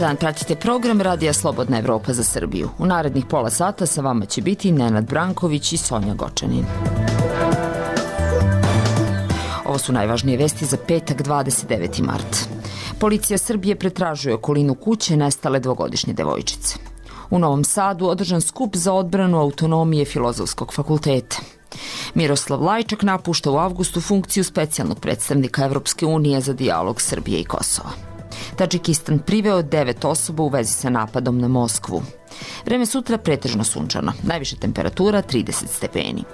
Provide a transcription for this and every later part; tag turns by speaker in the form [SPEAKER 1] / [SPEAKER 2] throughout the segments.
[SPEAKER 1] dan, pratite program Radija Slobodna Evropa za Srbiju. U narednih pola sata sa vama će biti Nenad Branković i Sonja Gočanin. Ovo su najvažnije vesti za petak 29. mart. Policija Srbije pretražuje okolinu kuće nestale dvogodišnje devojčice. U Novom Sadu održan skup za odbranu autonomije Filozofskog fakulteta. Miroslav Lajčak napušta u avgustu funkciju specijalnog predstavnika Evropske unije za dijalog Srbije i Kosova. Tadžikistan priveo 9 osoba u vezi sa napadom na Moskvu. Vreme sutra pretežno sunčano, najviša temperatura 30 stepeni.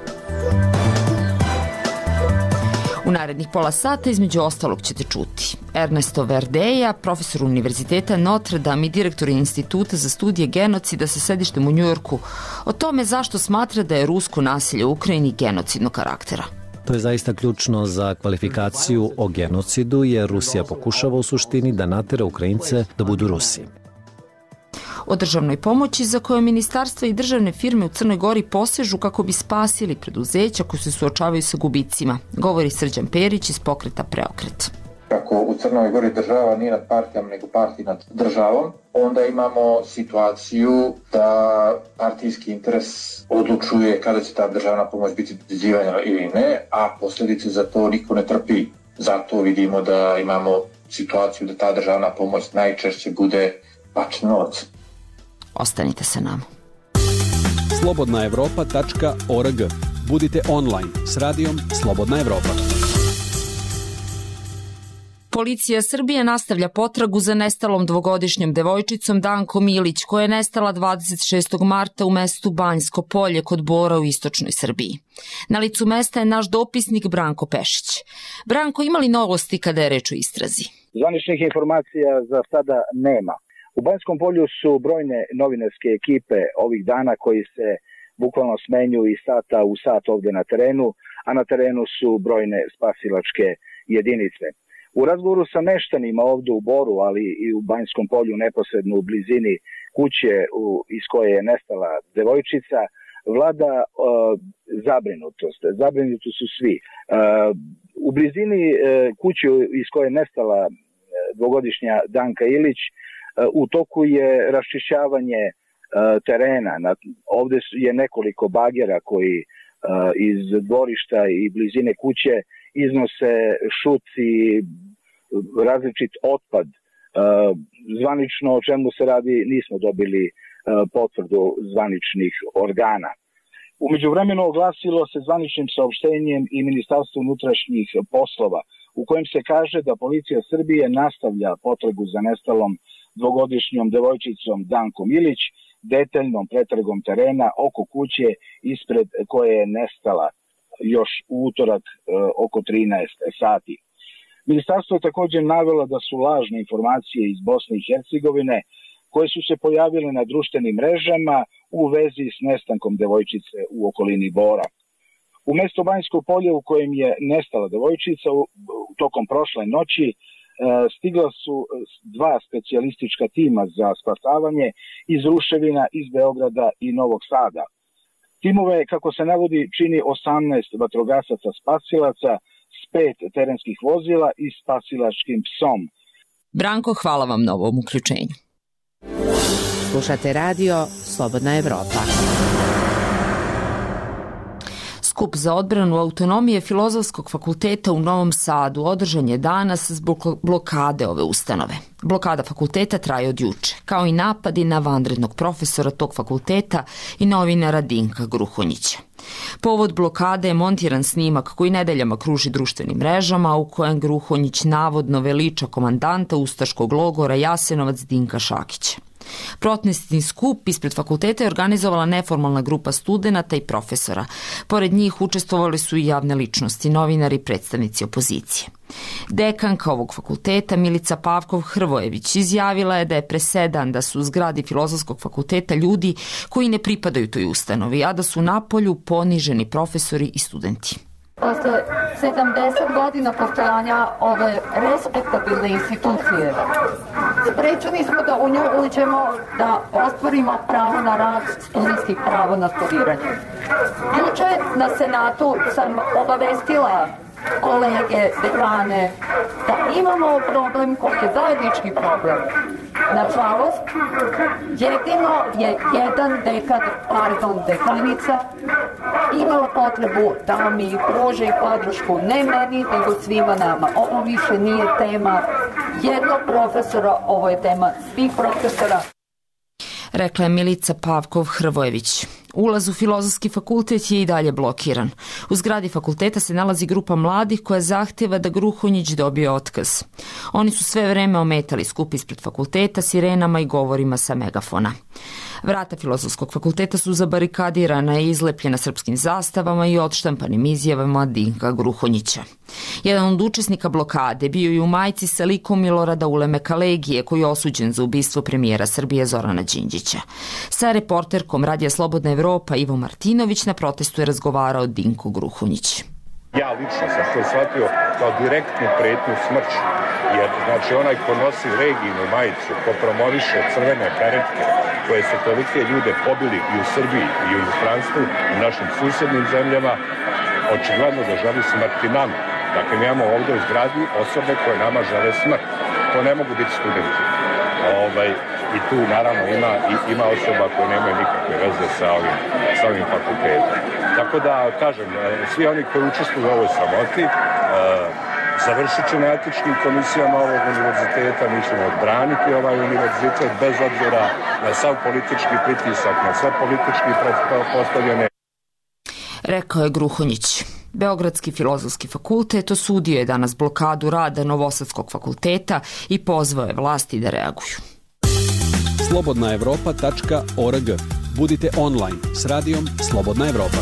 [SPEAKER 1] U narednih pola sata između ostalog ćete čuti Ernesto Verdeja, profesor Univerziteta Notre Dame i direktor Instituta za studije genocida sa sedištem u Njujorku, o tome zašto smatra da je rusko nasilje u Ukrajini genocidnog karaktera.
[SPEAKER 2] To je zaista ključno za kvalifikaciju o genocidu, jer Rusija pokušava u suštini da natera Ukrajince da budu Rusi.
[SPEAKER 1] O državnoj pomoći za koje ministarstva i državne firme u Crnoj Gori posežu kako bi spasili preduzeća koji se suočavaju sa gubicima, govori Srđan Perić iz pokreta Preokret.
[SPEAKER 3] Ako u Crnoj Gori država nije nad partijama nego partija nad državom, onda imamo situaciju da partijski interes odlučuje kada će ta državna pomoć biti dodjeljivana ili ne, a posljedice za to niko ne trpi. Zato vidimo da imamo situaciju da ta državna pomoć najčešće bude bačen novac.
[SPEAKER 1] Ostanite sa nama.
[SPEAKER 4] slobodnaevropa.org. Budite online s radijom Slobodna Evropa.
[SPEAKER 1] Policija Srbije nastavlja potragu za nestalom dvogodišnjom devojčicom Dankom Ilić, koja je nestala 26. marta u mestu Banjsko Polje kod Bora u istočnoj Srbiji. Na licu mesta je naš dopisnik Branko Pešić. Branko, ima li novosti kada je reč o istrazi?
[SPEAKER 5] Zvaničnih informacija za sada nema. U Banjskom Polju su brojne novinarske ekipe ovih dana koji se bukvalno smenjuju iz sata u sat ovde na terenu, a na terenu su brojne spasilačke jedinice. U razgovoru sa meštanima ovde u Boru, ali i u Banjskom Polju neposredno u blizini kuće iz koje je nestala devojčica, vlada zabrinutost. Zabrinuti su svi. U blizini kuće iz koje je nestala dvogodišnja Danka Ilić, u toku je raščišćavanje terena. Ovde je nekoliko bagera koji iz dvorišta i blizine kuće iznose šuci, različit otpad. Zvanično o čemu se radi nismo dobili potvrdu zvaničnih organa. U međuvremenu oglasilo se zvaničnim saopštenjem i Ministarstvo unutrašnjih poslova, u kojem se kaže da policija Srbije nastavlja potragu za nestalom dvogodišnjom devojčicom Dankom Ilić, detaljnom pretragom terena oko kuće ispred koje je nestala još u utorak oko 13 sati. Ministarstvo je također navelo da su lažne informacije iz Bosne i Hercegovine koje su se pojavile na društvenim mrežama u vezi s nestankom devojčice u okolini Bora. U mesto Banjsko Polje u kojem je nestala devojčica tokom prošle noći stigla su 2 specijalistička tima za spasavanje iz ruševina iz Beograda i Novog Sada. Timove, kako se navodi, čini 18 vatrogasaca spasilaca s 5 terenskih vozila i spasilačkim psom.
[SPEAKER 1] Branko, hvala vam na ovom uključenju.
[SPEAKER 6] Slušate radio Slobodna Evropa.
[SPEAKER 1] Skup za odbranu autonomije Filozofskog fakulteta u Novom Sadu održan je danas zbog blokade ove ustanove. Blokada fakulteta traje od juče, kao i napadi na vanrednog profesora tog fakulteta i novinara Dinka Gruhonjića. Povod blokade je montiran snimak koji nedeljama kruži društvenim mrežama, u kojem Gruhonjić navodno veliča komandanta ustaškog logora Jasenovac Dinka Šakića. Protestni skup ispred fakulteta je organizovala neformalna grupa studenata i profesora. Pored njih učestvovali su i javne ličnosti, novinari i predstavnici opozicije. Dekanka ovog fakulteta Milica Pavkov-Hrvojević izjavila je da je presedan da su u zgradi Filozofskog fakulteta ljudi koji ne pripadaju toj ustanovi, a da su napolju poniženi profesori i studenti.
[SPEAKER 7] Posle 70 godina postojanja ove respektabilne institucije, sprečeni smo da u nju uđemo, da ostvarimo pravo na rad, studentskih pravo na studiranje. Juče na Senatu sam obavestila kolege, dekane, da imamo problem koji je zajednički problem. Nažalost, jedino je jedan dekanica imala potrebu da mi pruži podršku, ne meni, nego svima nama. Ovo više nije tema jednog profesora, ovo je tema svih profesora.
[SPEAKER 1] Rekla je Milica Pavkov-Hrvojević. Ulaz u Filozofski fakultet je i dalje blokiran. U zgradi fakulteta se nalazi grupa mladih koja zahtjeva da Gruhonjić dobije otkaz. Oni su sve vreme ometali skup ispred fakulteta sirenama i govorima sa megafona. Vrata Filozofskog fakulteta su zabarikadirana i izlepljena srpskim zastavama i odštampanim izjavama Dinka Gruhonjića. Jedan od učesnika blokade bio je u majici sa likom Milorada Ulemeka Legije, koji je osuđen za ubistvo premijera Srbije Zorana Đinđića. Sa reporterkom Radija Slobodna Evropa Ivo Martinović na protestu je razgovarao Dinko Gruhonjić.
[SPEAKER 8] Ja lično sam to shvatio kao direktnu pretnju smrću, jer znači onaj ko nosi Reginu majicu, ko promoviše crvene karetke, koje su tolike ljude pobili i u Srbiji i u inostranstvu, u našim susjednim zemljama, očigledno da želi smrti nama. Dakle, mi imamo ovdje u zgradi osobe koje nama žele smrt. To ne mogu biti studenti. I tu naravno ima osoba koje nemaju nikakve veze sa ovim fakultetom. Tako da, kažem, svi oni koji učestvuju u ovoj sramoti završit će na etičkim komisijama ovog univerziteta, mi ćemo odbraniti ovaj univerzitet bez obzira na sav politički pritisak, na sve politički postavljene.
[SPEAKER 1] Rekao je Gruhonjić. Beogradski filozofski fakultet osudio je danas blokadu rada Novosadskog fakulteta i pozvao je vlasti da reaguju.
[SPEAKER 4] slobodnaevropa.org. Budite online s radijom Slobodna Evropa.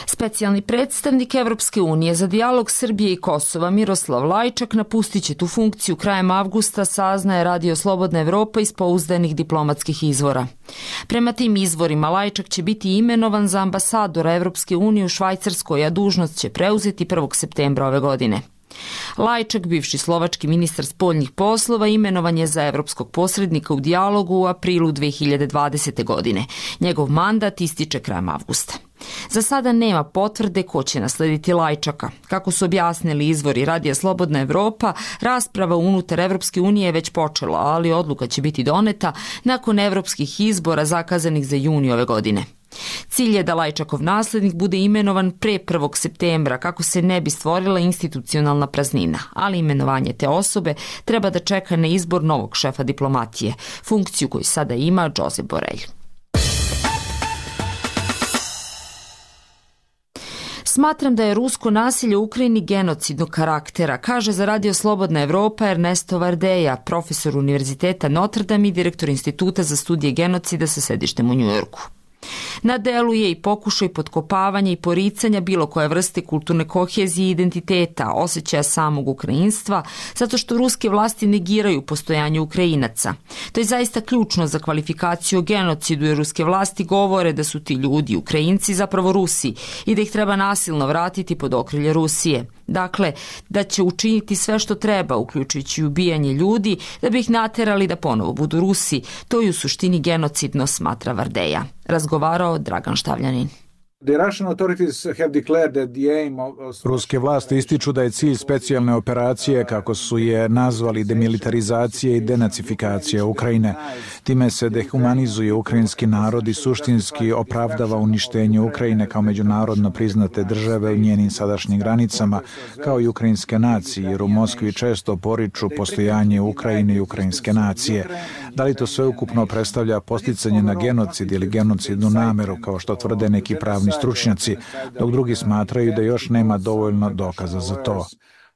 [SPEAKER 1] Specijalni predstavnik Evropske unije za dijalog Srbije i Kosova Miroslav Lajčak napustit će tu funkciju krajem avgusta, saznaje Radio Slobodna Evropa iz pouzdanih diplomatskih izvora. Prema tim izvorima Lajčak će biti imenovan za ambasadora Evropske unije u Švajcarskoj, a dužnost će preuzeti 1. septembra ove godine. Lajčak, bivši slovački ministar spoljnih poslova, imenovan je za evropskog posrednika u dijalogu u aprilu 2020. godine. Njegov mandat ističe krajem avgusta. Za sada nema potvrde ko će naslediti Lajčaka. Kako su objasnili izvori Radija Slobodna Evropa, rasprava unutar Evropske unije je već počela, ali odluka će biti doneta nakon evropskih izbora zakazanih za juni ove godine. Cilj je da Lajčakov naslednik bude imenovan pre 1. septembra kako se ne bi stvorila institucionalna praznina, ali imenovanje te osobe treba da čeka na izbor novog šefa diplomatije, funkciju koju sada ima Josep Borrell. Smatram da je rusko nasilje u Ukrajini genocidnog karaktera, kaže za Radio Slobodna Evropa Ernesto Vardeja, profesor Univerziteta Notre Dame i direktor Instituta za studije genocida sa sedištem u Njujorku. Na delu je i pokušaj potkopavanja i poricanja bilo koje vrste kulturne kohezije i identiteta, osjećaja samog ukrajinstva, zato što ruske vlasti negiraju postojanje Ukrajinaca. To je zaista ključno za kvalifikaciju o genocidu, jer ruske vlasti govore da su ti ljudi, Ukrajinci, zapravo Rusi i da ih treba nasilno vratiti pod okrilje Rusije. Dakle, da će učiniti sve što treba, uključujući ubijanje ljudi, da bi ih naterali da ponovo budu Rusi. To je u suštini genocidno, smatra Vardeja. Razgovarao Dragan Štavljanin.
[SPEAKER 9] Ruske vlasti ističu da je cilj specijalne operacije, kako su je nazvali, demilitarizacija i denacifikacija Ukrajine. Time se dehumanizuje ukrajinski narod i suštinski opravdava uništenje Ukrajine kao međunarodno priznate države u njenim sadašnjim granicama, kao i ukrajinske nacije, jer u Moskvi često poriču postojanje Ukrajine i ukrajinske nacije. Da li to sveukupno predstavlja posticanje na genocid ili genocidnu nameru, kao što tvrde neki pravni stručnjaci, dok drugi smatraju da još nema dovoljno dokaza za to.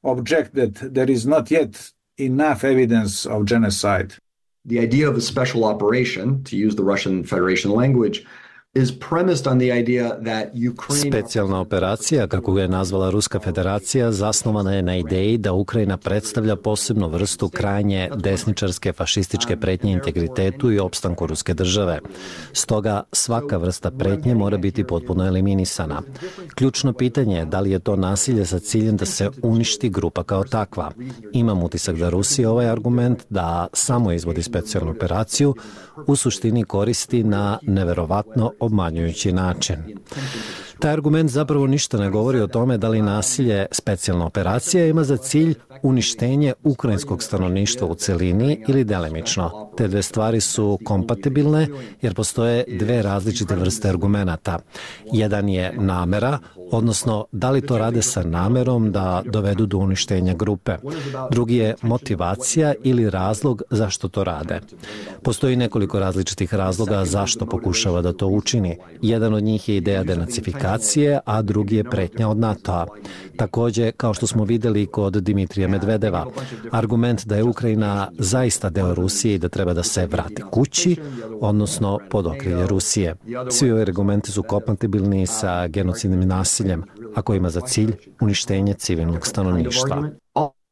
[SPEAKER 10] Object that there is not yet enough evidence of genocide.
[SPEAKER 11] The idea of a special operation, to use the Russian Federation language, is premised on the idea that Ukraine...
[SPEAKER 2] Specijalna operacija, kako je nazvala Ruska federacija, zasnovana je na ideji da Ukrajina predstavlja posebnu vrstu krajnje desničarske fašističke pretnje integritetu i opstanku ruske države. Stoga svaka vrsta pretnje mora biti potpuno eliminisana. Ključno pitanje je da li je to nasilje sa ciljem da se uništi grupa kao takva. Imam utisak da Rusija ovaj argument da samo izvodi specijalnu operaciju u suštini koristi na neverovatno obmanjujući način. Taj argument zapravo ništa ne govori o tome da li nasilje specijalna operacija ima za cilj uništenje ukrajinskog stanovništva u celini ili delimično. Te dve stvari su kompatibilne jer postoje dve različite vrste argumenata. Jedan je namera, odnosno da li to rade sa namerom da dovedu do uništenja grupe. Drugi je motivacija ili razlog zašto to rade. Postoji nekoliko različitih razloga zašto pokušava da to učini. Jedan od njih je ideja denacifikacije, a drugi je pretnja od NATO-a. Takođe, kao što smo videli kod Dimitrija Medvedeva, argument da je Ukrajina zaista deo Rusije i da treba da se vrati kući, odnosno pod okrilje Rusije. Svi ovi argumenti su kompatibilni sa genocidnim nasiljem, a koji ima za cilj uništenje civilnog stanovništva.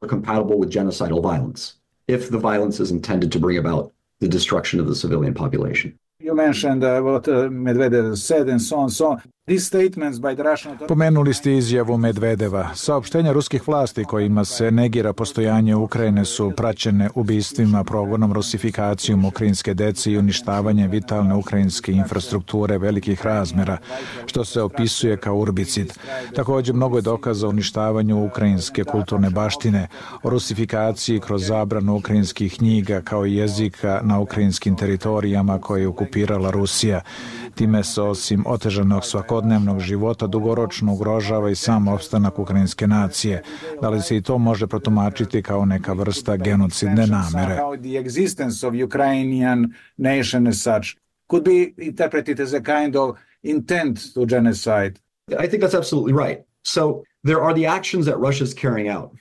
[SPEAKER 11] Compatible with genocidal violence, if the violence is intended to bring about the destruction of the civilian population.
[SPEAKER 10] You mentioned what Medvedev said and so on. These statements by the Russian authorities...
[SPEAKER 9] Pomenuli ste izjavu Medvedeva. Saopštenja ruskih vlasti kojima se negira postojanje Ukrajine su praćene ubistvima, progonom, rusifikacijom ukrajinske dece i uništavanjem vitalne ukrajinske infrastrukture velikih razmera, što se opisuje kao urbicid. Također, mnogo je dokaza o uništavanju ukrajinske kulturne baštine, o rusifikaciji kroz zabranu ukrajinskih knjiga kao i jezika na ukrajinskim teritorijama koje je okupirala Rusija. Time se osim otežanog svakodnevnog života dugoročno ugrožava i sam opstanak ukrajinske nacije. Da li se i to može protumačiti kao neka vrsta genocidne namere?
[SPEAKER 10] The existence of Ukrainian nation as such could be interpreted as a kind of intent to genocide.
[SPEAKER 11] I think that's absolutely right. So there are the actions that Russia is carrying out.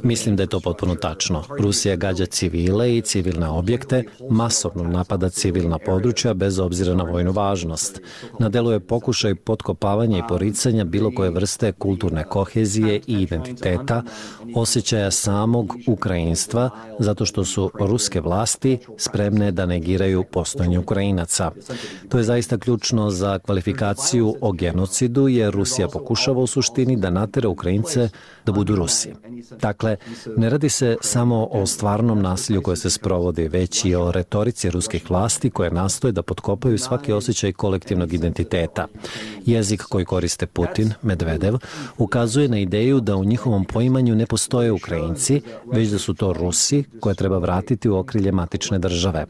[SPEAKER 2] Mislim da je to potpuno tačno. Rusija gađa civile i civilne objekte, masovno napada civilna područja bez obzira na vojnu važnost. Na delu je pokušaj potkopavanja i poricanja bilo koje vrste kulturne kohezije i identiteta, osjećaja samog ukrajinstva, zato što su ruske vlasti spremne da negiraju postojanje Ukrajinaca. To je zaista ključno za kvalifikaciju o genocidu, jer Rusija pokušava u suštini da natera Ukrajince da budu Rusi. Dakle, ne radi se samo o stvarnom nasilju koje se sprovodi, već i o retorici ruskih vlasti koje nastoje da potkopaju svaki osjećaj kolektivnog identiteta. Jezik koji koriste Putin, Medvedev, ukazuje na ideju da u njihovom poimanju ne postoje Ukrajinci, već da su to Rusi koje treba vratiti u okrilje matične države.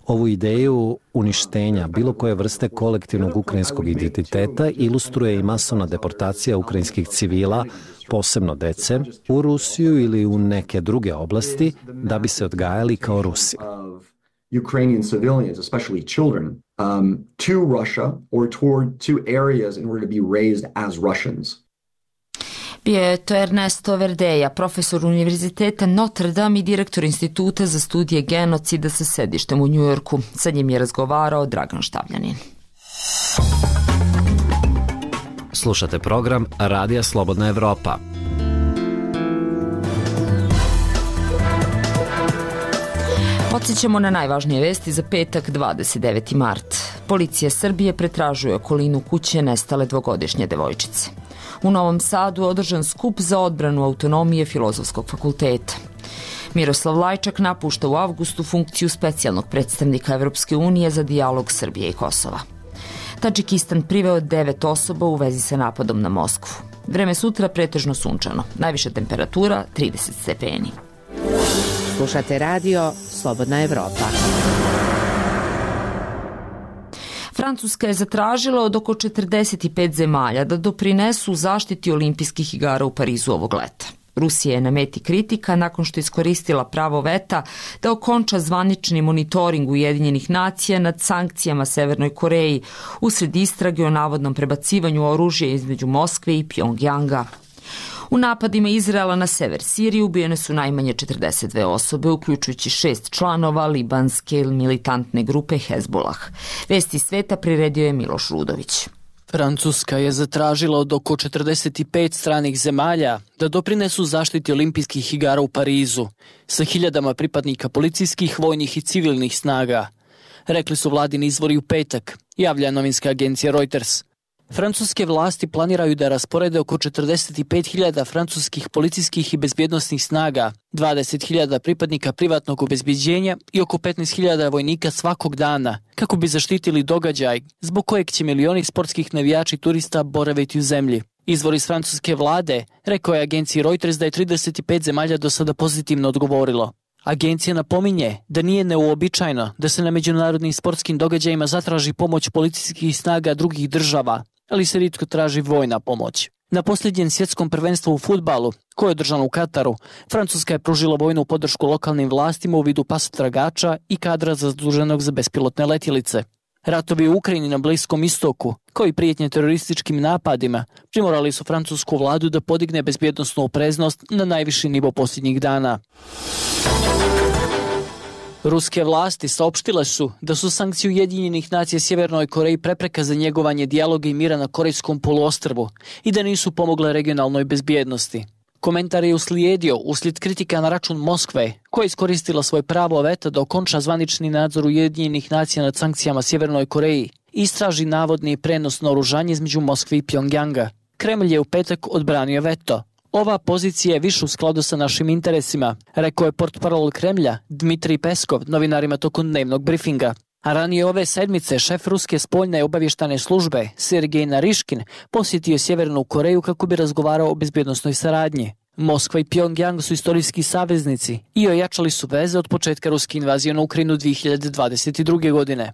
[SPEAKER 2] Ovu ideju uništenja bilo koje vrste kolektivnog ukrajinskog identiteta ilustruje i masovna deportacija ukrajinskih civila, posebno dece, u Rusiju ili u neke druge oblasti da bi se odgajali kao Rusi.
[SPEAKER 11] Ukrainian civilians, especially children, to Russia or to areas in order to be raised as Russians.
[SPEAKER 1] Bio je to Ernesto Verdeja, profesor Univerziteta Notre Dame i direktor Instituta za studije genocida sa sedištem u Njujorku. Sa njim je razgovarao Dragan Štavljanin.
[SPEAKER 2] Slušate program Radija Slobodna Evropa.
[SPEAKER 1] Podsjećamo na najvažnije vesti za petak 29. mart. Policija Srbije pretražuje okolinu kuće nestale dvogodišnje devojčice. U Novom Sadu održan skup za odbranu autonomije Filozofskog fakulteta. Miroslav Lajčak napušta u avgustu funkciju specijalnog predstavnika Evropske unije za dijalog Srbije i Kosova. Tadžikistan priveo 9 osoba u vezi sa napadom na Moskvu. Vreme sutra pretežno sunčano. Najviša temperatura 30 stepeni.
[SPEAKER 6] Slušate radio Slobodna Evropa.
[SPEAKER 1] Francuska je zatražila od oko 45 zemalja da doprinesu zaštiti olimpijskih igara u Parizu ovog leta. Rusija je na meti kritika nakon što je iskoristila pravo veta da okonča zvanični monitoring Ujedinjenih nacija nad sankcijama Severnoj Koreji usred istrage o navodnom prebacivanju oružja između Moskve i Pjongjanga. U napadima Izraela na sever Sirije ubijene su najmanje 42 osobe, uključujući 6 članova libanske militantne grupe Hezbollah. Vesti sveta priredio je Miloš Rudović.
[SPEAKER 12] Francuska je zatražila od oko 45 stranih zemalja da doprinesu zaštiti olimpijskih igara u Parizu sa hiljadama pripadnika policijskih, vojnih i civilnih snaga. Rekli su vladini izvori u petak, javlja novinska agencija Reuters. Francuske vlasti planiraju da rasporede oko 45.000 francuskih policijskih i bezbjednosnih snaga, 20.000 pripadnika privatnog obezbeđenja i oko 15.000 vojnika svakog dana, kako bi zaštitili događaj zbog kojeg će milioni sportskih navijača i turista boraviti u zemlji. Izvor iz francuske vlade rekao je agenciji Reuters da je 35 zemalja do sada pozitivno odgovorilo. Agencija napominje da nije neuobičajeno da se na međunarodnim sportskim događajima zatraži pomoć policijskih snaga drugih država, ali se rijetko traži vojna pomoć. Na posljednjem svjetskom prvenstvu u fudbalu, koje je održano u Kataru, Francuska je pružila vojnu podršku lokalnim vlastima u vidu pasotragača i kadra zaduženog za bespilotne letjelice. Ratovi u Ukrajini na Bliskom istoku, kao i prijetnje terorističkim napadima, primorali su francusku vladu da podigne bezbjednosnu opreznost na najviši nivo posljednjih dana. Ruske vlasti saopštile su da su sankcije Ujedinjenih nacija Sjevernoj Koreji prepreka za njegovanje dijaloga i mira na Korejskom poluostrvu i da nisu pomogle regionalnoj bezbjednosti. Komentar je uslijedio uslijed kritika na račun Moskve, koja je iskoristila svoj pravo veta da okonča zvanični nadzor Ujedinjenih nacija nad sankcijama Sjevernoj Koreji i istraži navodni prenos naoružanja između Moskve i Pjongjanga. Kremlj je u petak odbranio veto. Ova pozicija je više u skladu sa našim interesima, rekao je portparol Kremlja Dmitrij Peskov novinarima tokom dnevnog brifinga. A ranije ove sedmice šef ruske spoljne obavještajne službe Sergej Nariškin posjetio Sjevernu Koreju kako bi razgovarao o bezbjednosnoj saradnji. Moskva i Pjongjang su istorijski saveznici i ojačali su veze od početka ruske invazije na Ukrajinu 2022. godine.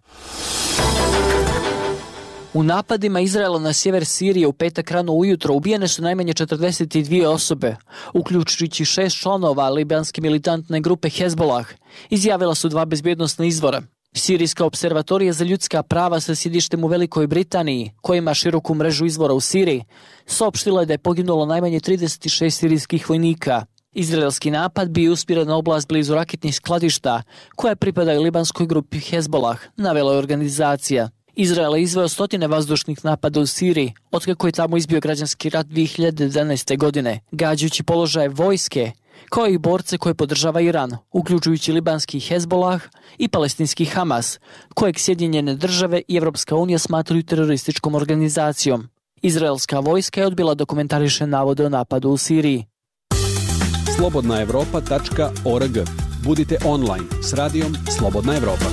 [SPEAKER 12] U napadima Izraela na sjever Sirije u petak rano ujutro ubijene su najmanje 42 osobe, uključujući 6 članova libanske militantne grupe Hezbollah, izjavila su 2 bezbjednosna izvora. Sirijska observatorija za ljudska prava sa sjedištem u Velikoj Britaniji, koja ima široku mrežu izvora u Siriji, saopštila je da je poginulo najmanje 36 sirijskih vojnika. Izraelski napad bio usmjeren na oblast blizu raketnih skladišta, koja pripadaju libanskoj grupi Hezbollah, navela je organizacija. Izrael je izveo stotine vazdušnih napada u Siriji, otkako je tamo izbio građanski rat 2011. godine, gađajući položaje vojske, kao i borce koje podržava Iran, uključujući libanski Hezbollah i palestinski Hamas, kojeg Sjedinjene države i Evropska unija smatraju terorističkom organizacijom. Izraelska vojska je odbila da komentariše navode o napadu u Siriji.
[SPEAKER 4] slobodnaevropa.org. Budite online s radijom Slobodna Evropa.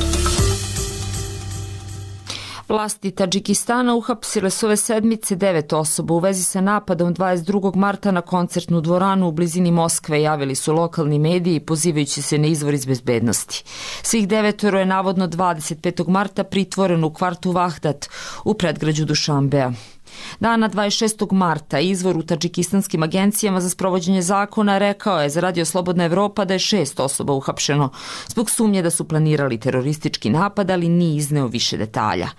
[SPEAKER 1] Vlasti Tadžikistana uhapsile su ove sedmice 9 osoba u vezi sa napadom 22. marta na koncertnu dvoranu u blizini Moskve, javili su lokalni mediji pozivajući se na izvor iz bezbednosti. Svih 9 je navodno 25. marta pritvoreno u kvartu Vahdat u predgrađu Dušanbeja. Dana 26. marta izvor u tadžikistanskim agencijama za sprovođenje zakona rekao je za Radio Slobodna Evropa da je 6 osoba uhapšeno zbog sumnje da su planirali teroristički napad, ali nije izneo više detalja.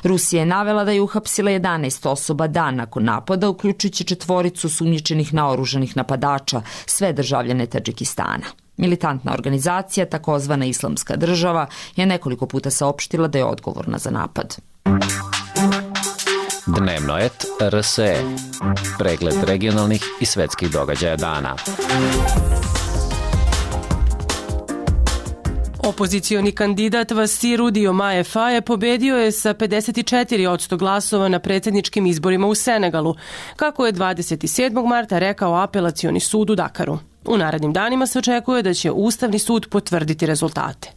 [SPEAKER 1] Rusija je navela da je uhapsila 11 osoba dan nakon napada, uključujući 4 sumnjičenih naoružanih napadača, sve državljane Tadžikistana. Militantna organizacija, takozvana Islamska država, je nekoliko puta saopštila da je odgovorna za napad.
[SPEAKER 2] Dnevno et RSE. Pregled regionalnih i svetskih događaja dana.
[SPEAKER 13] Opozicioni kandidat Vassirou Diomaye Faye pobedio je sa 54% glasova na predsjedničkim izborima u Senegalu, kako je 27. marta rekao apelacioni sud u Dakaru. U narednim danima se očekuje da će Ustavni sud potvrditi rezultate.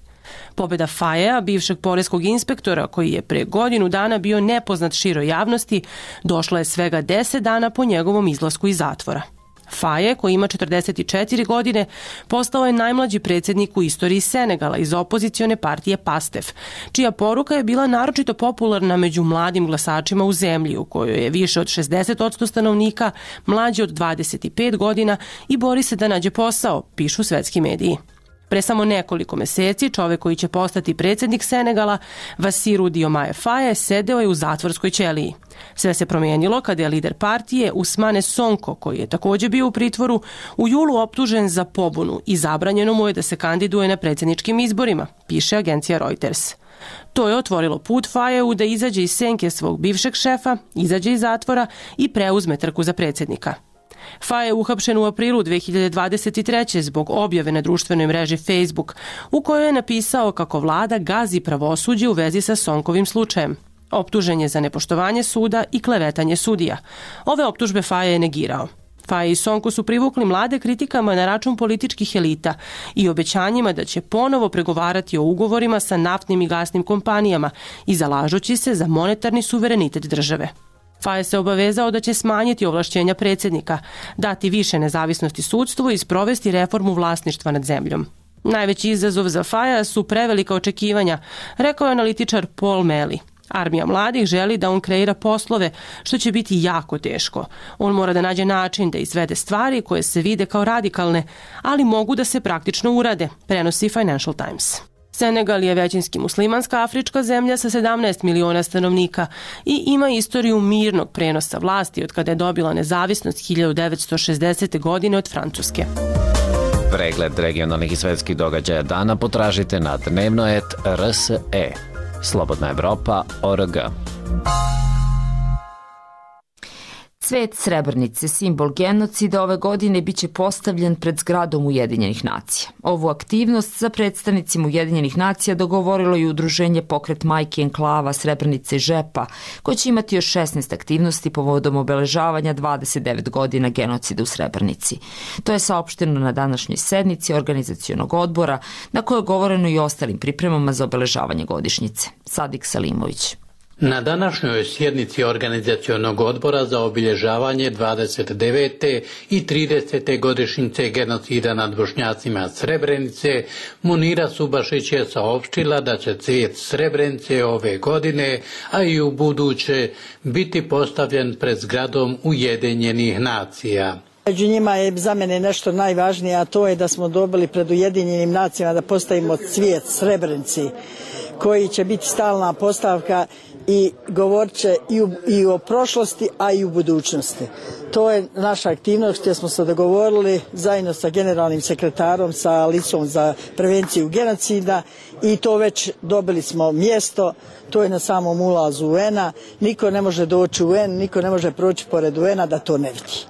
[SPEAKER 13] Pobjeda Fayea, bivšeg poreskog inspektora koji je pre godinu dana bio nepoznat široj javnosti, došla je svega 10 dana po njegovom izlasku iz zatvora. Faye, koji ima 44 godine, postao je najmlađi predsjednik u istoriji Senegala iz opozicione partije PASTEF, čija poruka je bila naročito popularna među mladim glasačima u zemlji, u kojoj je više od 60% stanovnika mlađi od 25 godina i bori se da nađe posao, pišu svetski mediji. Pre samo nekoliko meseci čovek koji će postati predsjednik Senegala, Vassirou Diomaye Faye, sedeo je u zatvorskoj ćeliji. Sve se promijenilo kada je lider partije Ousmane Sonko, koji je također bio u pritvoru, u julu optužen za pobunu i zabranjeno mu je da se kandiduje na predsjedničkim izborima, piše agencija Reuters. To je otvorilo put Fayeu da izađe iz senke svog bivšeg šefa, izađe iz zatvora i preuzme trku za predsjednika. Faye je uhapšen u aprilu 2023. zbog objave na društvenoj mreži Facebook, u kojoj je napisao kako vlada gazi pravosuđe u vezi sa Sonkovim slučajem. Optužen je za nepoštovanje suda i klevetanje sudija. Ove optužbe Faje je negirao. Faje i Sonko su privukli mlade kritikama na račun političkih elita i obećanjima da će ponovo pregovarati o ugovorima sa naftnim i gasnim kompanijama i zalažući se za monetarni suverenitet države. Faje se obavezao da će smanjiti ovlašćenja predsjednika, dati više nezavisnosti sudstvu i sprovesti reformu vlasništva nad zemljom. Najveći izazov za Faja su prevelika očekivanja, rekao je analitičar Paul Meli. Armija mladih želi da on kreira poslove, što će biti jako teško. On mora da nađe način da izvede stvari koje se vide kao radikalne, ali mogu da se praktično urade, prenosi Financial Times. Senegal je većinski muslimanska afrička zemlja sa 17 miliona stanovnika i ima istoriju mirnog prenosa vlasti od kada je dobila nezavisnost 1960. godine od Francuske.
[SPEAKER 2] Pregled regionalnih i svetskih događaja dana potražite na dnevnoet.rse. Slobodna Evropa.org.
[SPEAKER 1] Cvet Srebrenice, simbol genocida, ove godine biće postavljen pred zgradom Ujedinjenih nacija. Ovu aktivnost za predstavnicima Ujedinjenih nacija dogovorilo i udruženje Pokret majki enklava Srebrenice i Žepa, koje će imati još 16 aktivnosti povodom obeležavanja 29 godina genocida u Srebrenici. To je saopšteno na današnjoj sednici organizacionog odbora, na kojoj je govoreno i o ostalim pripremama za obeležavanje godišnjice. Sadik Salimović.
[SPEAKER 14] Na današnjoj sjednici organizacionog odbora za obilježavanje 29. i 30. godišnjice genocida nad Bošnjacima Srebrenice, Munira Subašić je saopštila da će cvijet Srebrenice ove godine, a i u buduće, biti postavljen pred zgradom Ujedinjenih nacija.
[SPEAKER 15] Među njima je za mene nešto najvažnije, a to je da smo dobili pred Ujedinjenim nacijama da postavimo cvijet Srebrenici, koji će biti stalna postavka i govorit će i o prošlosti, a i u budućnosti. To je naša aktivnost gdje smo se dogovorili zajedno sa generalnim sekretarom, sa Licom za prevenciju genocida i to već dobili smo mjesto, to je na samom ulazu UN-a. Niko ne može doći u UN, niko ne može proći pored UN-a da to ne vidi.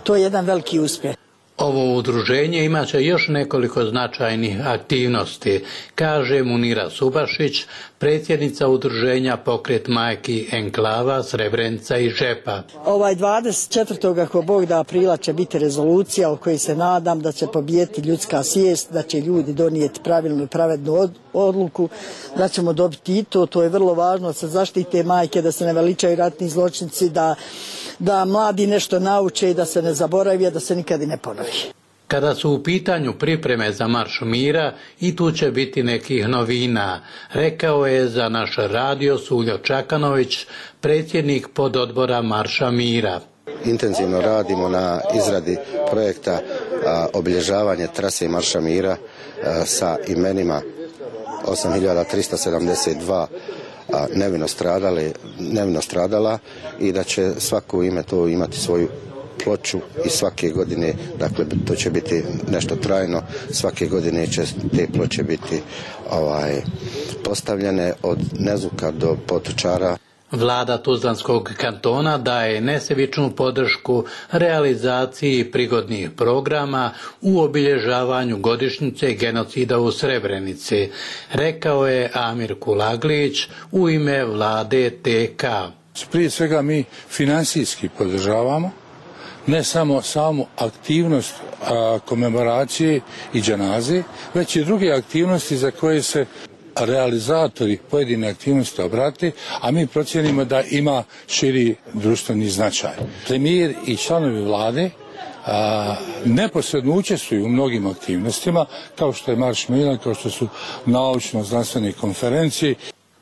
[SPEAKER 15] To je jedan veliki uspjeh.
[SPEAKER 14] Ovo udruženje imaće još nekoliko značajnih aktivnosti, kaže Munira Subašić, predsjednica udruženja Pokret majki enklava Srebrenica i Žepa.
[SPEAKER 15] 24. ako Bog da aprila će biti rezolucija o kojoj se nadam da će pobijeti ljudska svijest, da će ljudi donijeti pravilnu i pravednu odluku, da ćemo dobiti i to je vrlo važno, da se zaštite majke, da se ne veličaju ratni zločinci, da mladi nešto nauče i da se ne zaboravi, da se nikad i ne ponovi.
[SPEAKER 14] Kada su u pitanju pripreme za Marš mira, i tu će biti nekih novina, rekao je za naš radio Suljo Čakanović, predsjednik pododbora Marša mira.
[SPEAKER 16] Intenzivno radimo na izradi projekta obilježavanje trase Marša mira sa imenima 8372 nevino stradala i da će svako ime to imati svoju ploču i svake godine, dakle to će biti nešto trajno, svake godine će te ploče biti postavljene od Nezuka do Potočara.
[SPEAKER 14] Vlada Tuzlanskog kantona daje nesebičnu podršku realizaciji prigodnih programa u obilježavanju godišnjice genocida u Srebrenici, rekao je Amir Kulaglić u ime vlade TK.
[SPEAKER 17] Prije svega mi finansijski podržavamo, ne samo samu aktivnost komemoracije i dženaze, već i druge aktivnosti za koje se realizatori pojedine aktivnosti obrate, a mi procjenimo da ima širi društveni značaj. Premijer i članovi vlade neposredno učestvuju u mnogim aktivnostima, kao što je Marš mira, kao što su naučno-znanstvene konferencije.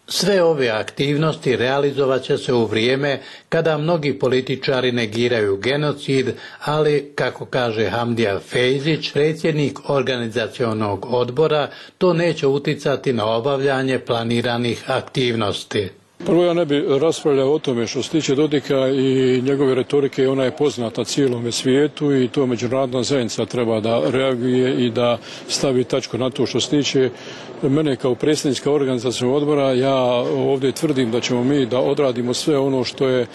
[SPEAKER 14] Sve ove aktivnosti realizovat će se u vrijeme kada mnogi političari negiraju genocid, ali, kako kaže Hamdija Fejzić, predsjednik organizacionog odbora, to neće uticati na obavljanje planiranih aktivnosti.
[SPEAKER 18] Prvo, ja ne bi raspravljao o tome što se tiče Dodika i njegove retorike, ona je poznata cijelome svijetu i to međunarodna zajednica treba da reaguje i da stavi tačku na to što se tiče mene kao predsjednika organizacionog odbora. Ja ovdje tvrdim da ćemo mi da odradimo sve ono što je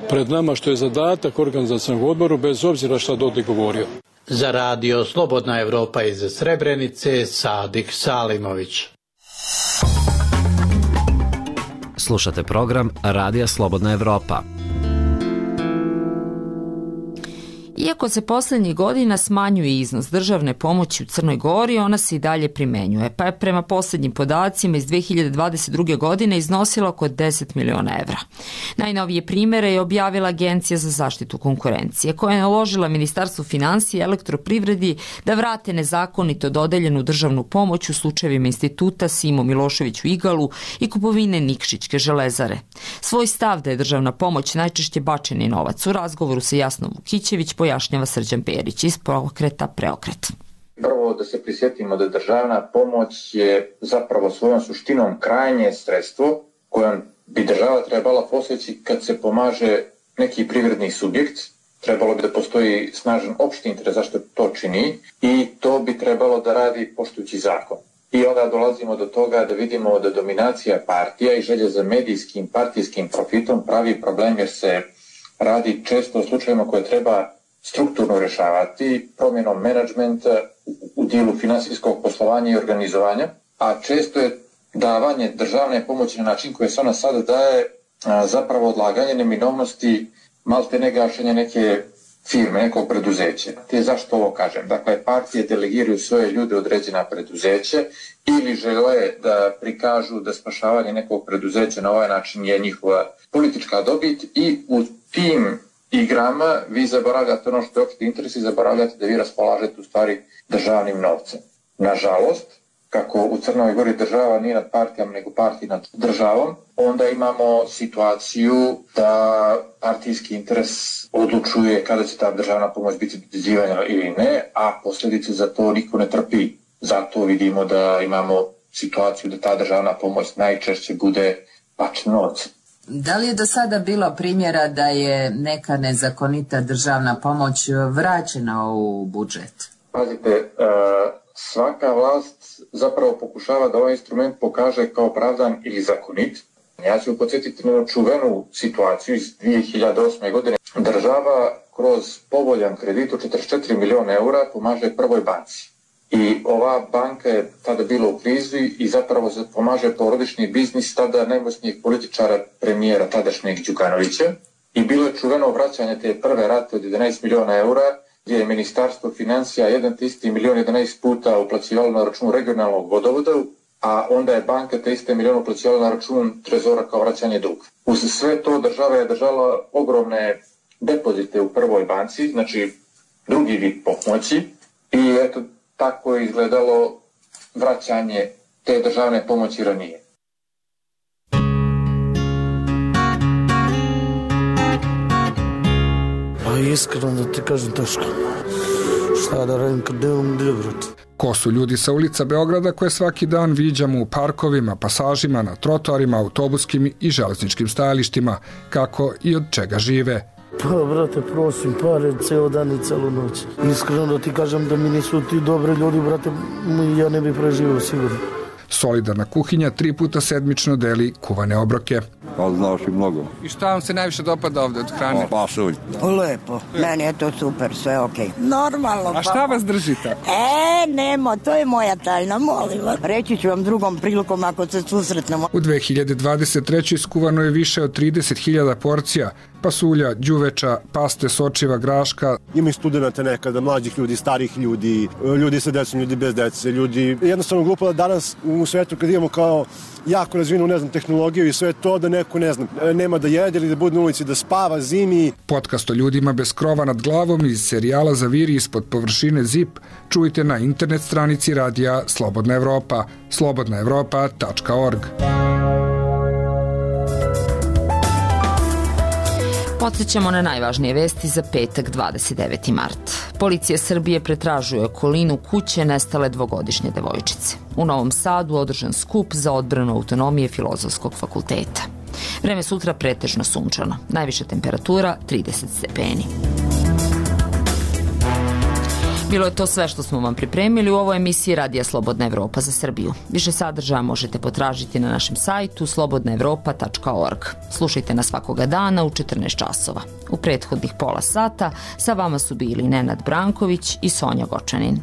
[SPEAKER 18] pred nama, što je zadatak organizacionog odboru, bez obzira šta Dodik govorio.
[SPEAKER 14] Za radio Slobodna Evropa iz Srebrenice, Sadik Salimović.
[SPEAKER 2] Slušate program Radija Slobodna Evropa.
[SPEAKER 1] Iako se posljednjih godina smanjuje iznos državne pomoći u Crnoj Gori, ona se i dalje primenjuje, pa je prema posljednjim podacima iz 2022. godine iznosila oko 10 miliona evra. Najnovije primjere je objavila Agencija za zaštitu konkurencije, koja je naložila Ministarstvu financija i elektroprivredi da vrate nezakonito dodeljenu državnu pomoć u slučajevima instituta Simo Milošević u Igalu i kupovine Nikšićke železare. Svoj stav da je državna pomoć najčešće bačeni novac u razgovoru sa Jasnom Vukićević pojašnjava Srđan Perić iz Pokreta Preokret.
[SPEAKER 3] Prvo da se prisjetimo da državna pomoć je zapravo svojom suštinom krajnje sredstvo kojom bi država trebala poseći kad se pomaže neki privredni subjekt. Trebalo bi da postoji snažan opšti interes zašto to čini i to bi trebalo da radi poštujući zakon. I onda dolazimo do toga da vidimo da dominacija partija i želje za medijskim partijskim profitom pravi problem jer se radi često o slučajima koje treba strukturno rješavati promjenom menadžmenta u dijelu finansijskog poslovanja i organizovanja, a često je davanje državne pomoći na način koje se ona sada daje zapravo odlaganje neminovnosti malte ne gašenja neke firme, nekog preduzeća. Te zašto ovo kažem? Dakle, partije delegiraju svoje ljude određena preduzeće ili žele da prikažu da spašavanje nekog preduzeća na ovaj način je njihova politička dobit i u tim igrama vi zaboravljate ono što je opšti interes i zaboravljate da vi raspolažete u stvari državnim novcem. Nažalost, kako u Crnoj Gori država nije nad partijama nego partij nad državom, onda imamo situaciju da partijski interes odlučuje kada će ta državna pomoć biti dodjeljivana ili ne, a posljedice za to niko ne trpi. Zato vidimo da imamo situaciju da ta državna pomoć najčešće bude bačen novac.
[SPEAKER 19] Da li je do sada bilo primjera da je neka nezakonita državna pomoć vraćena u budžet?
[SPEAKER 3] Pazite, svaka vlast zapravo pokušava da ovaj instrument pokaže kao opravdan ili zakonit. Ja ću podsjetiti na čuvenu situaciju iz 2008. godine. Država kroz povoljan kredit od 44 miliona eura pomaže Prvoj banci. I ova banka je tada bila u krizi i zapravo pomaže porodični biznis tada najmoćnijeg političara premijera tadašnjeg Đukanovića. I bilo je čuveno vraćanje te prve rate od 11 miliona eura gdje je Ministarstvo financija 1 milion 11 puta uplaćivalo na račun regionalnog vodovoda, a onda je banka te iste milion uplaćivala na račun trezora kao vraćanje duga. Uz sve to država je držala ogromne depozite u Prvoj banci, znači drugi vid pomoći i eto tako je izgledalo vraćanje te državne pomoći ranije.
[SPEAKER 20] A iskreno da ti kažem teško. Šta da radim kad nemam gdje, brate?
[SPEAKER 21] Ko su ljudi sa ulica Beograda koje svaki dan viđamo u parkovima, pasažima, na trotoarima, autobuskim i železničkim stajalištima, kako i od čega žive?
[SPEAKER 20] Pa, brate, prosim, pare, ceo dan i celu noć. Iskreno da ti kažem da mi nisu ti dobri ljudi, brate, ja ne bi preživio sigurno.
[SPEAKER 21] Solidarna kuhinja 3 puta sedmično deli kuvane obroke.
[SPEAKER 22] Pa znaš i mnogo.
[SPEAKER 21] I šta vam se najviše dopada ovde od hrane?
[SPEAKER 22] Pasulj.
[SPEAKER 23] Lepo, meni je to super, sve okej. Normalno.
[SPEAKER 21] A šta vas držite?
[SPEAKER 23] Nemo, to je moja tajna, molim vas. Reći ću vam drugom prilikom ako se susretnemo.
[SPEAKER 21] U 2023. skuvano je više od 30.000 porcija pasulja, đuveča, paste, sočiva, graška.
[SPEAKER 24] Ima i studenta nekada, mlađih ljudi, starih ljudi, ljudi sa decom, ljudi bez dece, ljudi. Jednostavno glupo da danas u svetu kad imamo kao jako razvinu, ne znam, tehnologiju i sve to da neko, ne znam, nema da jede ili da bude na ulici, da spava zimi.
[SPEAKER 21] Podcast o ljudima bez krova nad glavom iz serijala Zaviri ispod površine ZIP čujte na internet stranici radija Slobodna Evropa, slobodnaevropa.org.
[SPEAKER 1] Podsjećamo na najvažnije vesti za petak 29. mart. Policija Srbije pretražuje okolinu kuće nestale dvogodišnje devojčice. U Novom Sadu održan skup za odbranu autonomije Filozofskog fakulteta. Vreme sutra pretežno sunčano. Najviša temperatura 30 stepeni. Bilo je to sve što smo vam pripremili u ovoj emisiji Radija Slobodna Evropa za Srbiju. Više sadržaja možete potražiti na našem sajtu slobodnaevropa.org. Slušajte nas svakoga dana u 14 časova. U prethodnih pola sata sa vama su bili Nenad Branković i Sonja Gočanin.